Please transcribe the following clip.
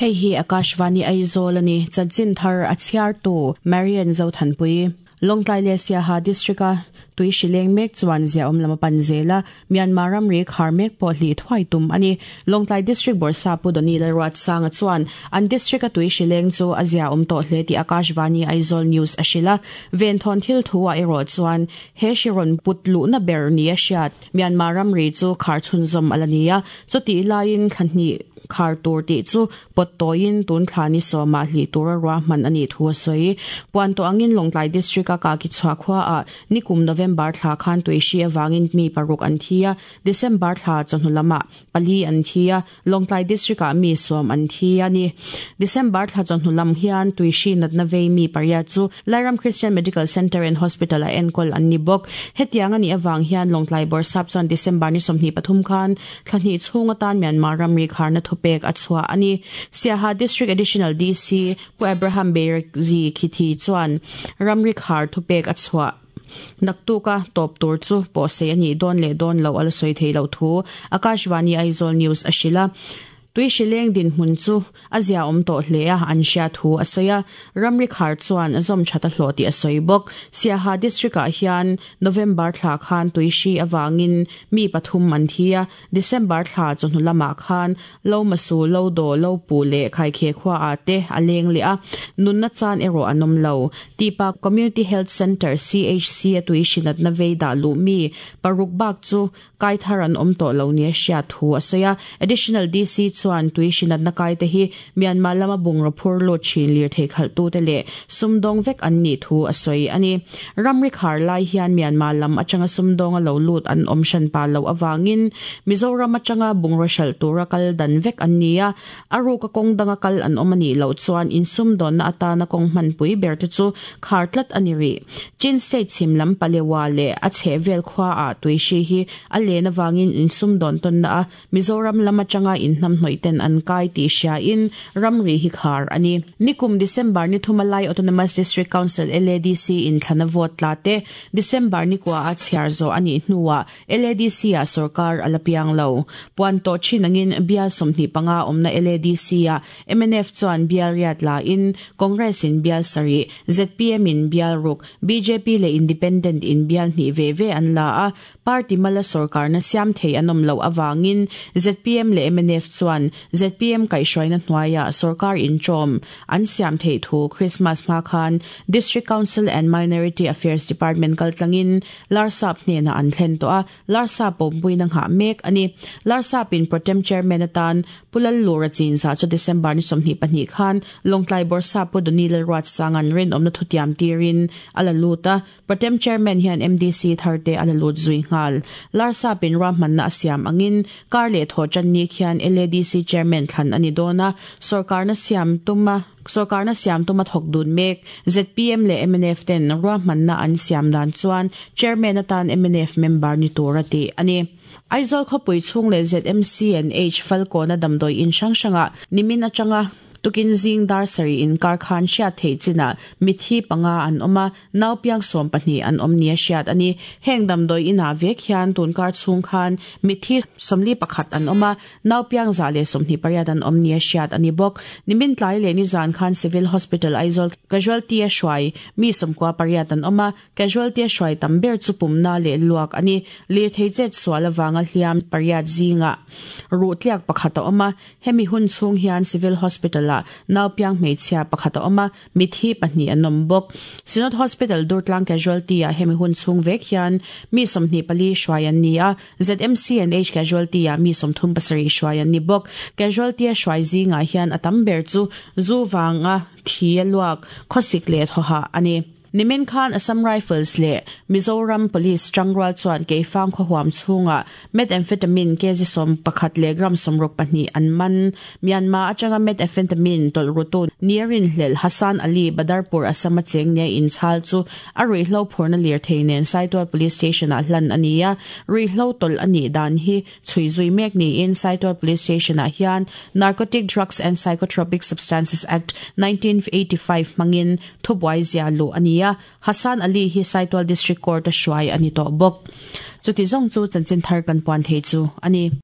Hei hi Akashvani Aizawl a ni, chanchin thar a chhiartu Marian Zothanpui. Lawngtlai leh Siaha District-a tui hri leng mek chuan ziaawm lam a pan zel a, Myanmar ramri khar mek pawh hlih thuai tum a ni. Lawngtlai District Bawrhsa Pu Doni Lalruatsanga chuan an district-a tui hri leng chu a ziaawm tawh hle tih Akashvani Aizawl News a hrilh a. Venthawn thil thu ah erawh chuan he hri rawn put luhna ber ni a hriat. Myanmar ramri chu khar chhunzawm a la ni a, chutih laiin thla hnih khar tur tih chu pawt tawiin tun thla ni sawmah hlih tura ruahman a nih thu a sawi. Puan tawh angin Lawngtlai District-a Kakichhuah khuaah nikum November thla khan tuihri avangin mi paruk an thi a, December thla chawhnu lamah pali an thi a, Lawngtlai District-ah mi sawm an thi a ni. December thla chawhnu lam hian tuihri natna vei mi pariat chu Lairam Christian Medical Centre and Hospital-a enkawl an ni bawk. Hetiang a nih avang hian Lawngtlai Bawrhsap chuan December ni 23 khan thla hnih chhung atan Myanmar ramri kharna thupek a chhuah a ni. Siaha District Additional DC Pu Abraham Beirzi Khithi chuan ramri khar thupek a chhuah. Naktuka tawp tur chu pawhsei a nih dawn leh dawn loh a la sawi thei loh thu Akashvani Aizawl News a hrilh a. Tui hrileng dinhmun chu a ziaawm tawh hle a, an hria thu a sawi a. Ramri khar chuan zawm that a hlawh tih a sawi bawk. Siaha District-ah hian November thla khan tui hri avangin mi pathum an thi a, December thla chawhnu lamah khan Lomasu, Lodo, Lopu leh Khaikhe khuaah te a leng leh a, nunna chan erawh an awm lo. Tipa Community Health Centre, CHC, a tui hrinatna vei dah luh mi paruk bak chu kai thar an awm tawh lo nia hriat thu a sawi a. Additional DC chuan tui hrinatna kai te hi Myanmar lama bungraw phur lut thin lirthei khalhtute leh sumdawng vek an nih thu a sawi a ni. Ramri khar lai hian Myanmar lam atanga sumdawnga lo lut an awm hran pah loh avangin Mizoram atanga bungraw hralh tura kal dan vek an ni a, a ruka kawng danga kal an awm a nih loh chuan insumdawnna atana kawng hmanpui ber te chu khar tlat a ni rih. Chin State chhim lam Palewa leh a chhehvel khuaah tuihri hi a len avangin insumdawn tawnna a Mizoram lam atanga inhnamhnawih ten an kai tih hriain ramri hi khar a ni. Nikum December ni thuma Lai Autonomous District Council, LADC, in thlana vote tla te December ni kua a chhiar zawh a nih hnuah LADC ah sorkar a la piang lo. Puan tawh thin angin bial 25 awmna LADC ah mnf chuan bial riat la in Congress in bial sarih, zpm in bial ruk, bjp leh Independent in bial hnih ve ve an la a, Party mala sorkarna siam thei an awm loh avangin zpm leh mnf chuan zpm kaihhruaina hnuaiah sorkar inṭawm an siam theih thu Christmas hma khan District Council and Minority Affairs Department kaltlangin Larsap hnenah an thlen tawh a, Larsap pawmpuina nghah mek a ni. Larsapin Protem Chairman atan Pu Lallura chinzah chu December ni 22 khan Lawngtlai Bawrhsap Pu Doni Lalruatsanga'n rinawmna thutiam tirin a la lut a, Protem Chairman hian MDC thar te a la lut zui nghal. Larsapin ruahmanna a siam angin kar leh thaw tan ni khian LADC Chairman thlan a ni dawn a, sawrkarna siam tuma sawrkarna siam tuma thawk dun mek zpm leh mnf ten ruahmanna an siam dan chuan Chairman atan mnf member ni tur a tih a ni. Aizawl khawpui chhung leh ZMC and H Falkawna damdawi in hrang hrangah nimin atanga tukin zing dar sarih inkar khan hriat theih chinah mithi panga an awm a, Nau piang 12 an awm nia hriat a ni. Heng damdawi inah vek hian tunkar chhung khan mitthi 41 an awm a, nau piang 128 an awm nia hriat a ni bawk. Nimin tlai leh nizan khan Civil Hospital Aizawl Casualty a hruai mi 98 an awm a, casualty a hruai tam ber chu pumna leh luak a ni. Lirthei chet sual avanga hliam pariat zingah ruh tliak pakhat a awm a, hemi hun chhung hian Civil Hospital-ah nau piang hmeichhia pakhat a awm a, Mithi pahnih an awm bawk. Synod Hospital Durtlang Casualty-ah hemi hun chhung vek hian mi 24 hruai an ni a, ZMC and H Casualty-ah mi 37 hruai an ni bawk. Casualty-a hruai zingah hian a tam ber chu zu vanga thi a luak, khawsik leh thawhah a ni. Nimin khan Assam Rifles leh Mizoram Police tangrual chuan Keifang khaw huam chhungah Methamphetamine kg 11 leh gram 62 an man. Myanmar atanga methamphetamine tawlh rutu nia rinhlelh Hassan Ali Badarpur Assam a cheng nia inchhal chu a ruihhlo phurna lirthei nen Saitual Police Station-ah hlan a ni a, ruihhlo tawlh a nih dan hi chhui zui mek niin Saitual Police Station-ah hian Narcotic Drugs and Psychotropic Substances Act, 1985 hmangin thubuai zia luh a ni a, Hassan Ali hi Saitual District Court-a hruai a ni tawh bawk. Chuti zawng chu chanchin thar kan puan thei chu a ni.